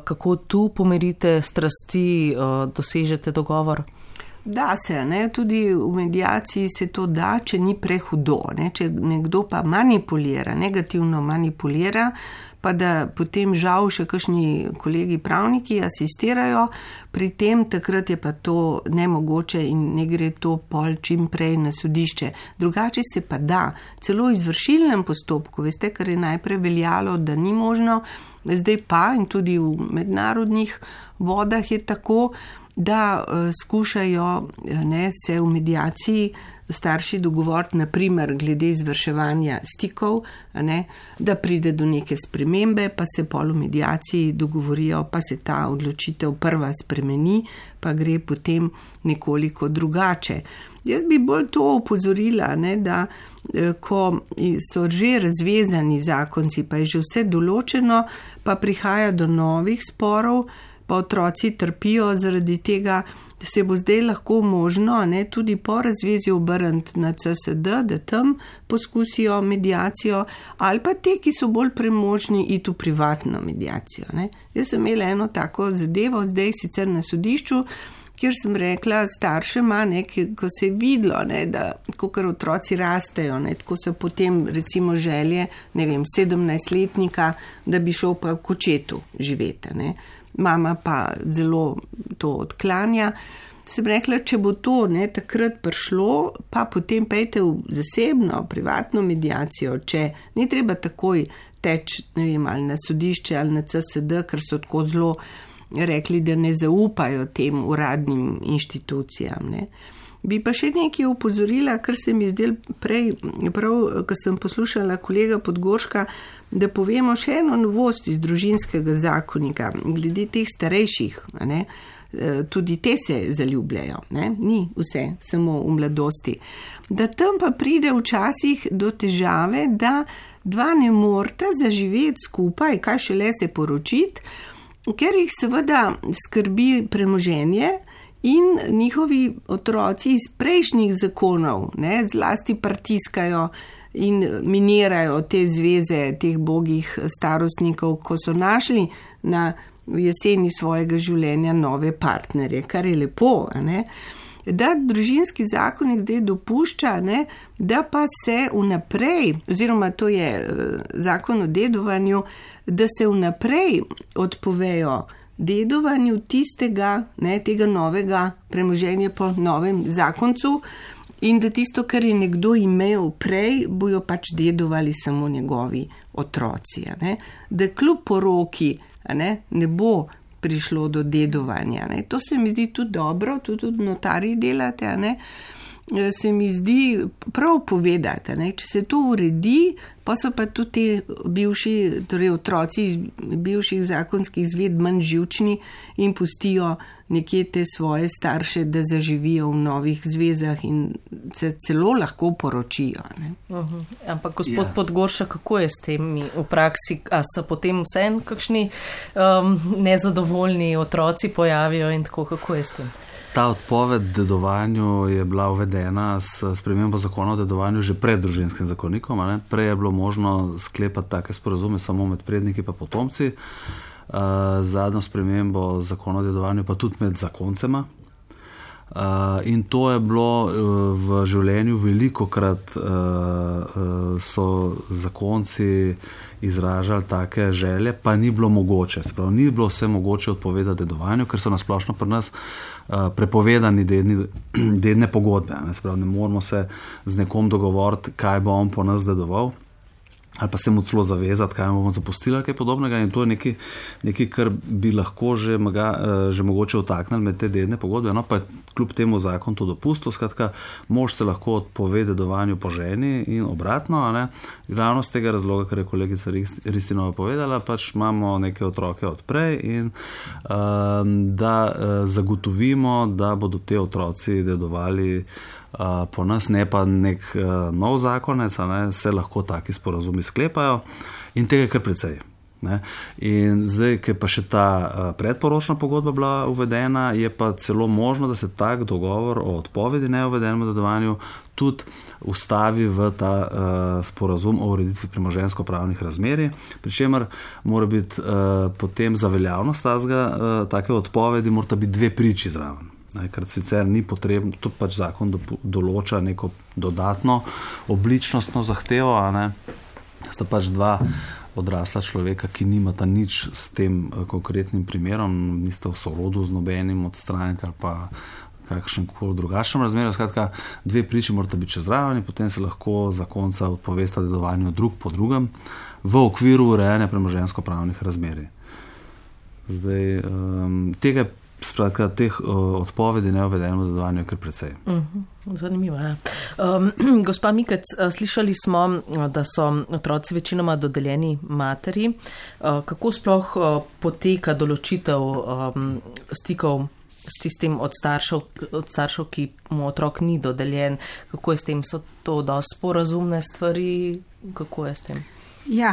Kako tu pomirite strasti, dosežete dogovor? Da se, ne, tudi v mediaciji se to da, če ni prehudo, ne, če nekdo pa manipulira, negativno manipulira, pa da potem žal še kakšni kolegi pravniki asistirajo, pri tem takrat je pa to nemogoče in ne gre to pol čim prej na sodišče. Drugače se pa da, celo v izvršilnem postopku, veste, kar je najprej veljalo, da ni možno, zdaj pa in tudi v mednarodnih vodah je tako, da skušajo se v mediaciji starši dogovoriti, naprimer glede izvrševanja stikov, da pride do neke spremembe, pa se pol v mediaciji dogovorijo, pa se ta odločitev prva spremeni, pa gre potem nekoliko drugače. Jaz bi bolj to opozorila, da ko so že razvezani zakonci, pa je že vse določeno, pa prihaja do novih sporov, pa otroci trpijo zaradi tega, se bo zdaj lahko možno tudi po razvezi obrniti na CSD, da tam poskusijo mediacijo, ali pa te, ki so bolj premožni, iti v privatno mediacijo. Jaz sem imela eno tako zadevo, zdaj sicer na sodišču, kjer sem rekla staršema, ko se je videlo, da kakor otroci rastejo, tako so potem recimo želje, 17-letnika, da bi šel pa v Kočetu živeti. Mama pa zelo to odklanja. Sem rekla, če bo to takrat prišlo, pa potem pejte v zasebno, privatno mediacijo, če ni treba takoj teči, ali na sodišče ali na CSD, ker so tako zelo rekli, da ne zaupajo tem uradnim inštitucijam. Bi pa še nekaj opozorila, kar se mi zdel prej, prav, ko sem poslušala kolega Podgorška, da povemo še eno novost iz družinskega zakonika, glede teh starejših, tudi te se zaljubljajo, ni vse, samo v mladosti. Da tam pa pride včasih do težave, da dva ne morata zaživeti skupaj, kaj šele se poročiti, ker jih seveda skrbi premoženje, in njihovi otroci iz prejšnjih zakonov zlasti pritiskajo in minirajo te zveze teh bogih starostnikov, ko so našli v jeseni svojega življenja nove partnerje, kar je lepo, da družinski zakonik zdaj dopušča, da pa se vnaprej, oziroma to je zakon o dedovanju, da se vnaprej odpovejo dedovanju tistega, tega novega premoženja po novem zakoncu in da tisto, kar je nekdo imel prej, bojo pač dedovali samo njegovi otroci. Da kljub poroki ne bo prišlo do dedovanja. To se mi zdi tudi dobro, tudi notarji delate, se mi zdi prav povedati, če se to uredi, pa so pa tudi te bivši, torej otroci iz bivših zakonskih zved manj živčni in pustijo nekje te svoje starše, da zaživijo v novih zvezah in se celo lahko poročijo. Ampak gospod Podgorša, kako je s temi v praksi? A so potem vseeno kakšni nezadovoljni otroci pojavijo in tako, kako je s tem? Ta odpoved dedovanju je bila uvedena s spremembo zakona o dedovanju že pred družinskim zakonikom. Prej je bilo možno sklepati take sporazume samo med predniki pa potomci. Zadnjo spremembo zakona o dedovanju pa tudi med zakoncema. In to je bilo v življenju velikokrat so zakonci izražali take želje, pa ni bilo mogoče. Se pravi, ni bilo vse mogoče odpovedati dedovanju, ker so nasplošno pri nas prepovedani dedne pogodbe. Se pravi, ne moramo se z nekom dogovoriti, kaj bo on po nas dedoval, ali pa se mu celo zavezati, kaj bomo zapustili, kaj podobnega. In to je nekaj, kar bi lahko že mogoče vtaknili med te dedne pogodbe, pa je kljub temu zakon to dopustil. Skratka, mož se lahko odpove dedovanju po ženi in obratno. Ravno z tega razloga, ker je kolegica Ristinova povedala, pač imamo neke otroke odprej in da zagotovimo, da bodo te otroci dedovali po nas, ne pa nek nov zakonec, se lahko taki sporazumi sklepajo in tega kar precej. Ne? In zdaj, ker pa še ta predporočna pogodba bila uvedena, je pa celo možno, da se tak dogovor o odpovedi neuvedenemu dedovanju tudi ustavi v ta sporazum o ureditvi premoženjsko-pravnih razmerij, pri čemer mora biti potem za veljavnost take odpovedi morata biti 2 priči zraven. Ker sicer ni potrebno, to pač zakon določa neko dodatno obličnostno zahtevo, sta pač 2 odrasla človeka, ki nimata nič s tem konkretnim primerom, nista v sorodu z nobenim od strank ali pa kakšen koli drugačnem razmerju. Skratka, 2 priči morata biti čez zraven in potem se lahko zakonca odpovesta dedovanju drug po drugem v okviru urejanja premoženjsko-pravnih razmerij. Zdaj, teh odpovedi neuvedenemu dedovanju je kar precej. Zanimivo, ja. Gospa Mikec, slišali smo, da so otroci večinoma dodeljeni materi. Kako sploh poteka določitev stikov s tistim od staršev, ki mu otrok ni dodeljen? Kako je s tem? So to dosti sporazumne stvari? Kako je s tem? Ja,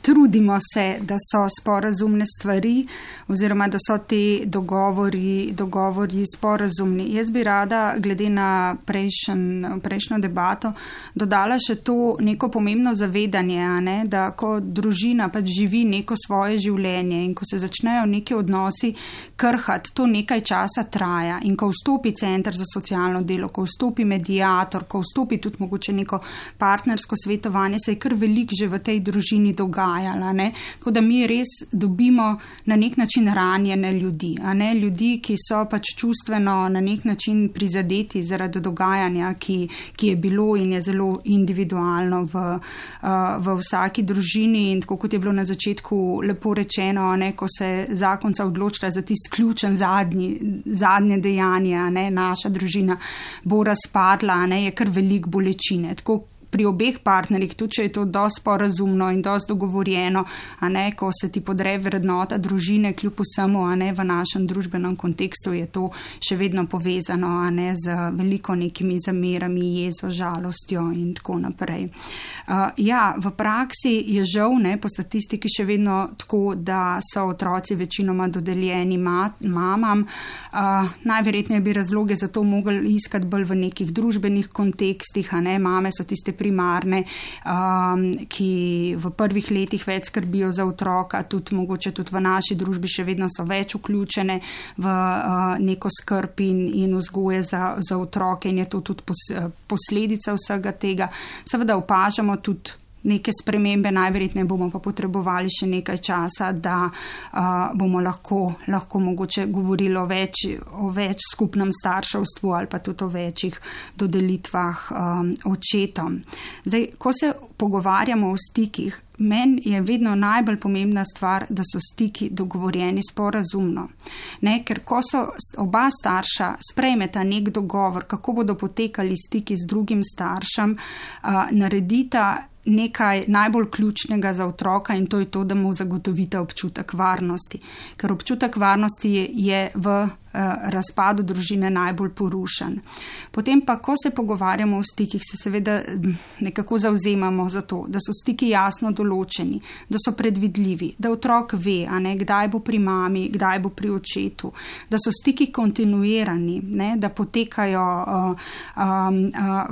trudimo se, da so sporazumne stvari oziroma da so te dogovori sporazumni. Jaz bi rada, glede na prejšnjo debato, dodala še to neko pomembno zavedanje, da ko družina pač živi neko svoje življenje in ko se začnejo neki odnosi krhati, to nekaj časa traja. In ko vstopi center za socialno delo, ko vstopi mediator, ko vstopi tudi mogoče neko partnersko svetovanje, se je kar veliko že v tej družini dogajala. Tako da mi res dobimo na nek način ranjene ljudi. Ljudi, ki so pač čustveno na nek način prizadeti zaradi dogajanja, ki je bilo in je zelo individualno v vsaki družini. In tako kot je bilo na začetku lepo rečeno, ko se zakonca odločila za tisti ključen zadnje dejanje, naša družina bo razpadla, je kar veliko bolečine. Tako pri obeh partnerjih, tudi če je to dosti sporazumno in dosti dogovorjeno, ko se ti podre vrednota družine, kljub vsemu, v našem družbenem kontekstu je to še vedno povezano, z veliko nekimi zamerami, jezo, žalostjo in tako naprej. V praksi je žal, po statistiki še vedno tako, da so otroci večinoma dodeljeni mamam. Najverjetneje bi razloge za to mogli iskati bolj v nekih družbenih kontekstih, mame so tiste primarne, ki v prvih letih več skrbijo za otroka, mogoče tudi v naši družbi še vedno so več vključene v neko skrb in vzgoje za otroke in je to tudi posledica vsega tega. Seveda opažamo tudi neke spremembe, najverjetneje bomo pa potrebovali še nekaj časa, da bomo lahko mogoče govorili o več skupnem starševstvu ali pa tudi o večjih dodelitvah očetom. Zdaj, ko se pogovarjamo o stikih, meni je vedno najbolj pomembna stvar, da so stiki dogovorjeni sporazumno. Ker ko so oba starša sprejmeta nek dogovor, kako bodo potekali stiki z drugim staršem, naredita nekaj najbolj ključnega za otroka in to je to, da mu zagotovite občutek varnosti. Ker občutek varnosti je v razpadu družine najbolj porušen. Potem pa, ko se pogovarjamo o stikih, se seveda nekako zavzemamo za to, da so stiki jasno določeni, da so predvidljivi, da otrok ve, kdaj bo pri mami, kdaj bo pri očetu, da so stiki kontinuirani, da potekajo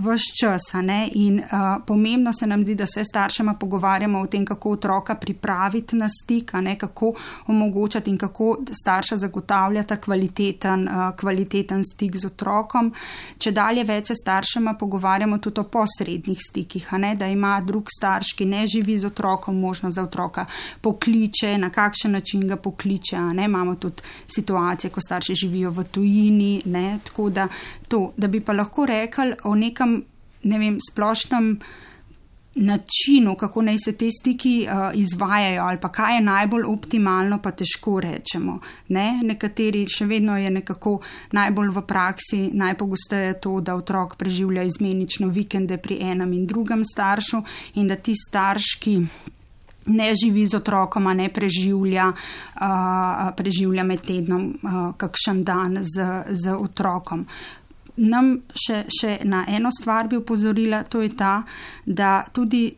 ves čas. In pomembno se nam zdi, da se staršema pogovarjamo o tem, kako otroka pripraviti na stik, kako omogočati in kako starša zagotavljata kvaliteten stik z otrokom. Če dalje več se staršema pogovarjamo tudi o posrednih stikih, da ima drug starš, ki ne živi z otrokom, možnost, da otroka pokliče, na kakšen način ga pokliče. Imamo tudi situacije, ko starši živijo v tujini, tako da to, da bi pa lahko rekli o nekem, splošnem načinu, kako naj se te stiki izvajajo ali pa kaj je najbolj optimalno, pa težko rečemo. Nekateri še vedno je nekako najbolj v praksi, najpogosteje to, da otrok preživlja izmenično vikende pri enem in drugem staršu in da ti starš, ki ne živi z otrokom, ne preživlja med tednom kakšen dan z otrokom. Nam še na eno stvar bi upozorila, to je ta, da tudi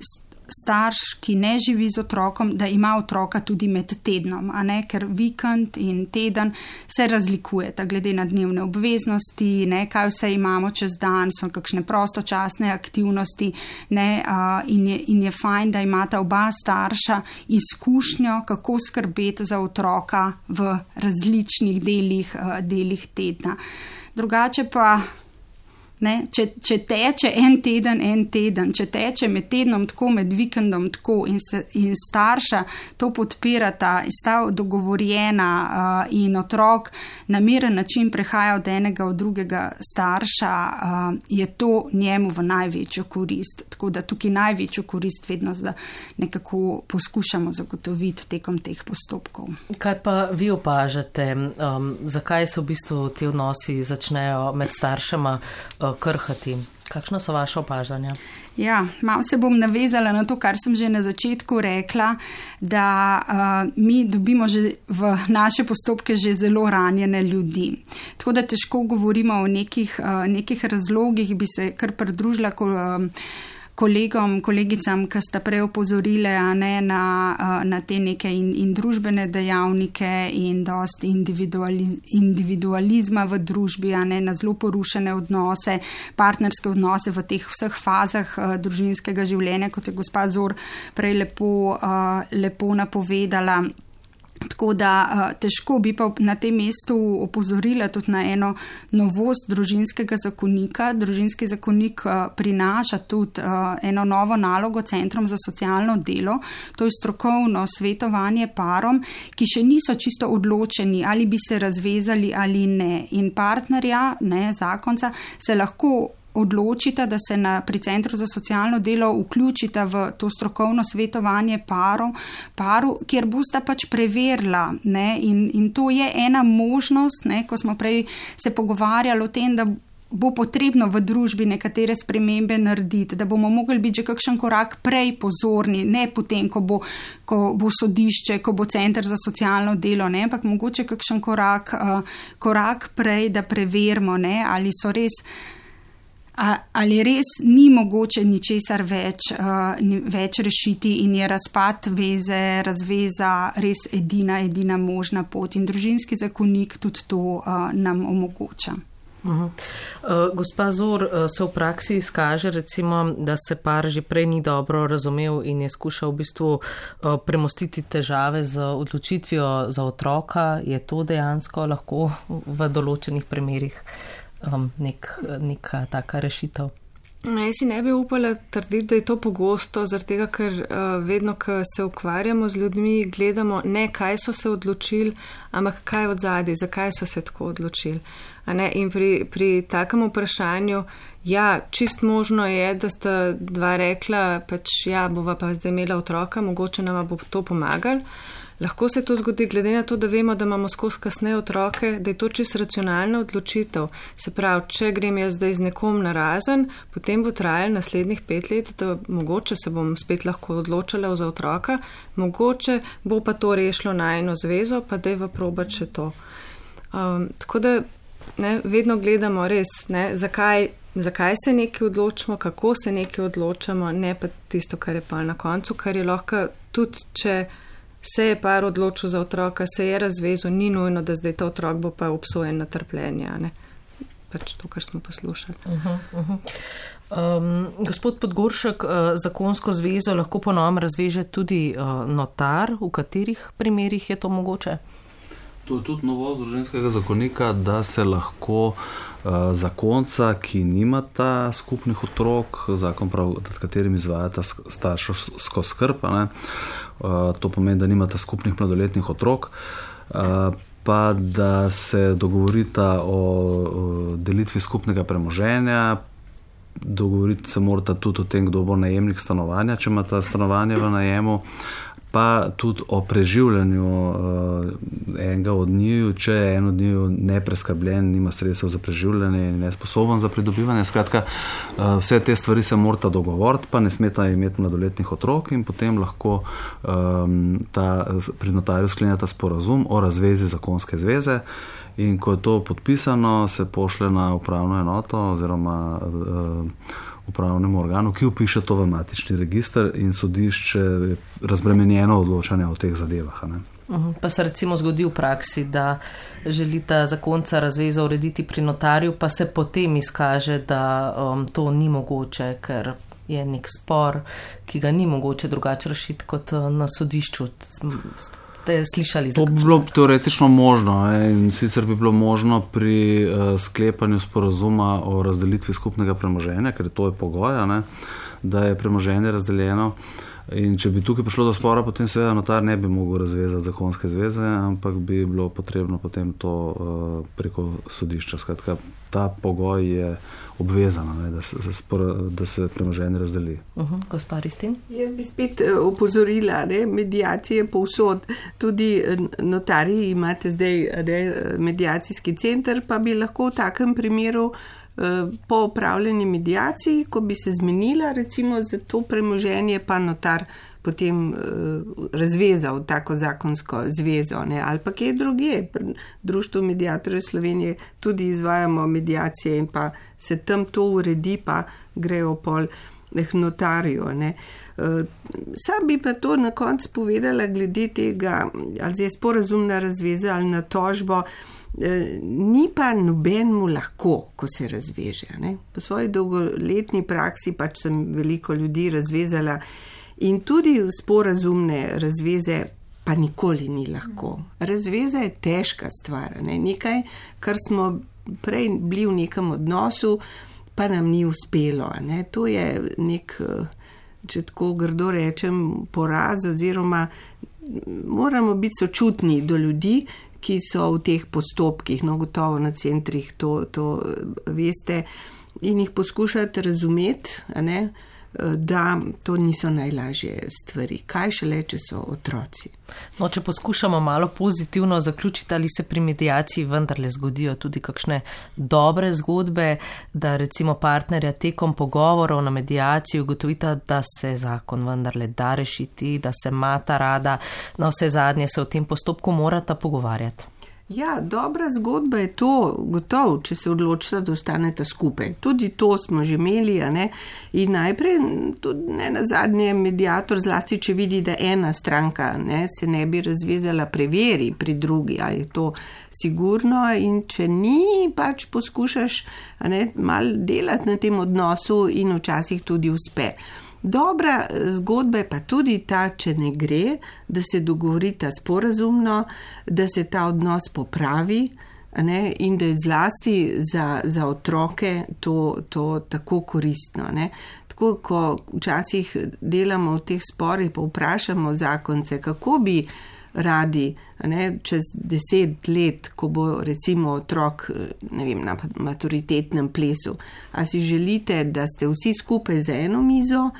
starš, ki ne živi z otrokom, da ima otroka tudi med tednom, a ne, ker vikend in teden se razlikujeta glede na dnevne obveznosti, ne, kaj vse imamo čez dan, so kakšne prostočasne aktivnosti, ne, in je fajn, da imata oba starša izkušnjo, kako skrbeti za otroka v različnih delih tedna. Drugače pa, ne, če teče en teden, če teče med tednom tako, med vikendom tako in starša to podpirata, sta dogovorjena in otrok na miren način prehaja od enega v drugega starša, je to njemu v največjo korist. Tako da tukaj največjo korist vedno nekako poskušamo zagotoviti tekom teh postopkov. Kaj pa vi opažate, zakaj se v bistvu ti odnosi začnejo med staršema krhati? Kakšno so vaše opažanja? Ja, malo se bom navezala na to, kar sem že na začetku rekla, da mi dobimo že v naše postopke že zelo ranjene ljudi. Tako da težko govorimo o nekih razlogih, bi se kar pridružila kolegom, kolegicam, ki sta prej opozorile na te neke in družbene dejavnike in dost individualizma v družbi, na zelo porušene odnose, partnerske odnose v teh vseh fazah družinskega življenja, kot je gospa Zor prej lepo napovedala. Tako da težko bi pa na tem mestu opozorila tudi na eno novost družinskega zakonika. Družinski zakonik prinaša tudi eno novo nalogo centrom za socialno delo, to je strokovno svetovanje parom, ki še niso čisto odločeni, ali bi se razvezali ali ne. In partnerja, zakonca, se lahko odločita, da se pri Centru za socialno delo vključita v to strokovno svetovanje paru, kjer bosta pač preverila. In to je ena možnost, ko smo prej se pogovarjali o tem, da bo potrebno v družbi nekatere spremembe narediti, da bomo mogli biti že kakšen korak prej pozorni, ne potem, ko bo sodišče, ko bo Center za socialno delo, ampak mogoče kakšen korak prej, da preverimo, ali so res ali res ni mogoče ničesar več rešiti in je razpad veze, razveza res edina možna pot. In družinski zakonik tudi to nam omogoča. Gospa Zor, se v praksi izkaže recimo, da se par že prej ni dobro razumel in je skušal v bistvu premostiti težave z odločitvijo za otroka. Je to dejansko lahko v določenih primerih neka taka rešitev? Jaz si ne bi upala trditi, da je to pogosto, zaradi tega, ker vedno, ko se ukvarjamo z ljudmi, gledamo ne, kaj so se odločili, ampak kaj od zadaj, zakaj so se tako odločili. In pri takem vprašanju, ja, čist možno je, da sta dva rekla, pač ja, bova pa zdaj imela otroka, mogoče nama bo to pomagal. Lahko se to zgodi, glede na to, da vemo, da imamo skozi kasneje otroke, da je to čist racionalna odločitev. Se pravi, če grem jaz zdaj z nekom narazen, potem bo trajalo naslednjih 5 let, da mogoče se bom spet lahko odločala za otroka, mogoče bo pa to rešilo najino zvezo, pa dajva probati še to. Tako da vedno gledamo res, zakaj se nekaj odločimo, kako se nekaj odločamo, ne pa tisto, kar je pa na koncu, kar je lahko tudi, če se je par odločil za otroka, se je razvezal, ni nujno, da zdaj ta otrok bo pa obsojen na trpljenje. Pač to, kar smo poslušali. Gospod Podgoršek, zakonsko zvezo lahko po novem razveže tudi notar, v katerih primerih je to mogoče? To je tudi novost družinskega zakonika, da se lahko zakonca, ki nimata skupnih otrok, zakon prav, nad katerim izvajata starševsko skrb, to pomeni, da nimata skupnih mladoletnih otrok, pa da se dogovorita o delitvi skupnega premoženja, dogovoriti se morata tudi o tem, kdo bo najemnik stanovanja, če imata stanovanje v najemu, pa tudi o preživljanju enega od njiju, če je en od njiju nepreskrbljen, nima sredstev za preživljanje in nesposoben za pridobivanje. Skratka, vse te stvari se morata dogovoriti, pa ne smeta imeti mladoletnih otrok in potem lahko pri notarju sklenjata sporazum o razvezi zakonske zveze. In ko je to podpisano, se pošle na upravno enoto oziroma upravnemu organu, ki upiše to v matični register in sodišče je razbremenjeno odločanje o teh zadevah. Ne? Pa se recimo zgodi v praksi, da želita zakonca razvezo urediti pri notarju, pa se potem izkaže, da to ni mogoče, ker je nek spor, ki ga ni mogoče drugače rešiti kot na sodišču. Ste slišali za to? Bi bilo teoretično možno, in sicer bi bilo možno pri sklepanju sporazuma o razdelitvi skupnega premoženja, ker to je pogoj, da je premoženje razdeljeno. In če bi tukaj prišlo do spora, potem seveda notar ne bi mogel razvezati zakonske zveze, ampak bi bilo potrebno potem to preko sodišča. Skratka, ta pogoj je obvezan, da se premoženje razdeli. Gospa Ristin? Jaz bi spet opozorila, medijacije povsod. Tudi notarji imate zdaj medijacijski center, pa bi lahko v takem primeru po upravljeni medijaciji, ko bi se zmenila recimo za to premoženje, pa notar potem razvezal tako zakonsko zvezo, ali pa kje drugje. Društvo medijatorjev Slovenije tudi izvajamo medijacije in pa se tam to uredi, pa grejo pol notarju. Sam bi pa to na koncu povedala glede tega, ali je sporazumna razveza ali na tožbo. Ni pa nobenmu lahko, ko se razveže. Po svoji dolgoletni praksi pač sem veliko ljudi razvezala in tudi sporazumne razveze pa nikoli ni lahko. Razveza je težka stvar, nekaj, kar smo prej bili v nekem odnosu, pa nam ni uspelo. To je nek, če tako grdo rečem, poraz, oziroma moramo biti sočutni do ljudi, ki so v teh postopkih, gotovo na centrih to veste, in jih poskušati razumeti, da to niso najlažje stvari. Kaj šele, če so otroci? Če poskušamo malo pozitivno zaključiti, ali se pri medijaciji vendarle zgodijo tudi kakšne dobre zgodbe, da recimo partnerja tekom pogovorov na medijaciji ugotovita, da se zakon vendarle da rešiti, da se imata rada, na vse zadnje se v tem postopku morata pogovarjati. Ja, dobra zgodba je to, gotovo, če se odločita, da ostaneta skupaj. Tudi to smo že imeli, in najprej, tudi ne nazadnje, medijator, zlasti če vidi, da ena stranka se ne bi razvezala, preveri pri drugi, ali je to sigurno, in če ni, pač poskušaš malo delati na tem odnosu in včasih tudi uspe. Dobra zgodba je pa tudi ta, če ne gre, da se dogovorita sporazumno, da se ta odnos popravi, in da je zlasti za otroke to tako koristno. Tako, ko včasih delamo v teh sporih, pa vprašamo zakonce, kako bi radi, čez 10 let, ko bo recimo otrok, na maturitetnem plesu, a si želite, da ste vsi skupaj za eno mizo,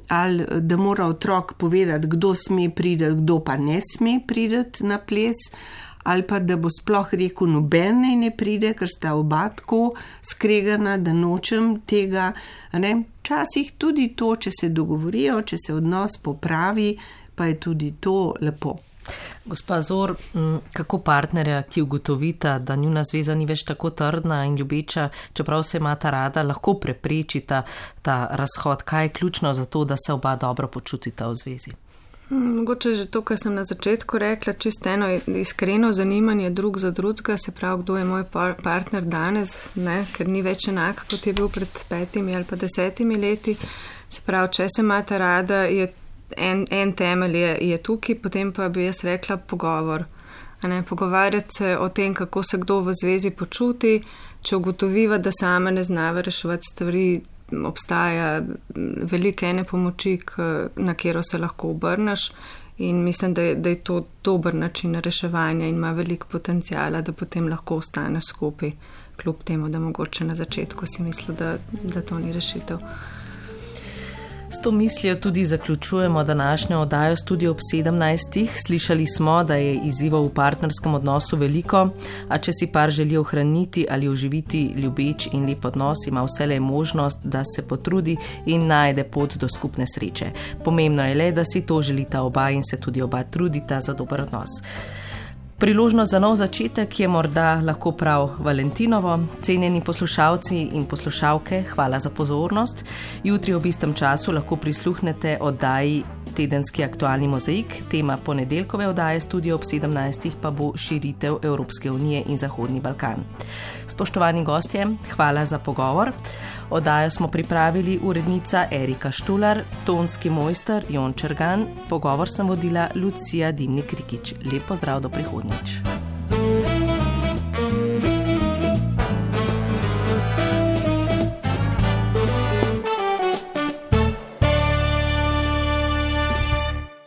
ali da mora otrok povedati, kdo sme priti, kdo pa ne sme priti na ples, ali pa da bo sploh rekel, noben ne pride, ker sta oba tako skregana, da nočem tega. Včasih tudi to, če se dogovorijo, če se odnos popravi, pa je tudi to lepo. Gospa Zor, kako partnerja, ki ugotovita, da njuna zveza ni več tako trdna in ljubeča, čeprav se imata rada, lahko preprečita ta razhod? Kaj je ključno za to, da se oba dobro počutita v zvezi? Mogoče že to, kar sem na začetku rekla, čisto eno iskreno zanimanje drug za drugega, se pravi, kdo je moj partner danes, ker ni več enak, kot je bil pred 5 ali pa 10 leti. Se pravi, če se imata rada, je en temelj je tukaj, potem pa bi jaz rekla pogovor. Pogovarjati se o tem, kako se kdo v zvezi počuti, če ugotoviva, da sama ne znava reševati stvari, obstaja velike ene pomoči, na katero se lahko obrneš, in mislim, da je to dober način reševanja in ima veliko potencijala, da potem lahko ostaneš skupaj, kljub temu, da mogoče na začetku si mislil, da to ni rešitev. S to mislijo tudi zaključujemo današnjo oddajo Studio ob 17. Slišali smo, da je izzivov v partnerskem odnosu veliko, a če si par želi ohraniti ali oživiti ljubeč in lep odnos, ima vselej možnost, da se potrudi in najde pot do skupne sreče. Pomembno je le, da si to želita oba in se tudi oba trudita za dober odnos. Priložnost za nov začetek je morda lahko prav Valentinovo. Cenjeni poslušalci in poslušalke, hvala za pozornost. Jutri ob istem času lahko prisluhnete oddaji Tedenski aktualni mozaik. Tema ponedeljkove oddaje Studio ob 17. pa bo širitev Evropske unije in Zahodni Balkan. Spoštovani gostje, hvala za pogovor. Oddajo smo pripravili urednica Erika Štular, tonski mojster Jon Čergan, pogovor sem vodila Lucija Dimnik-Rikič. Lep pozdrav do prihodnjič.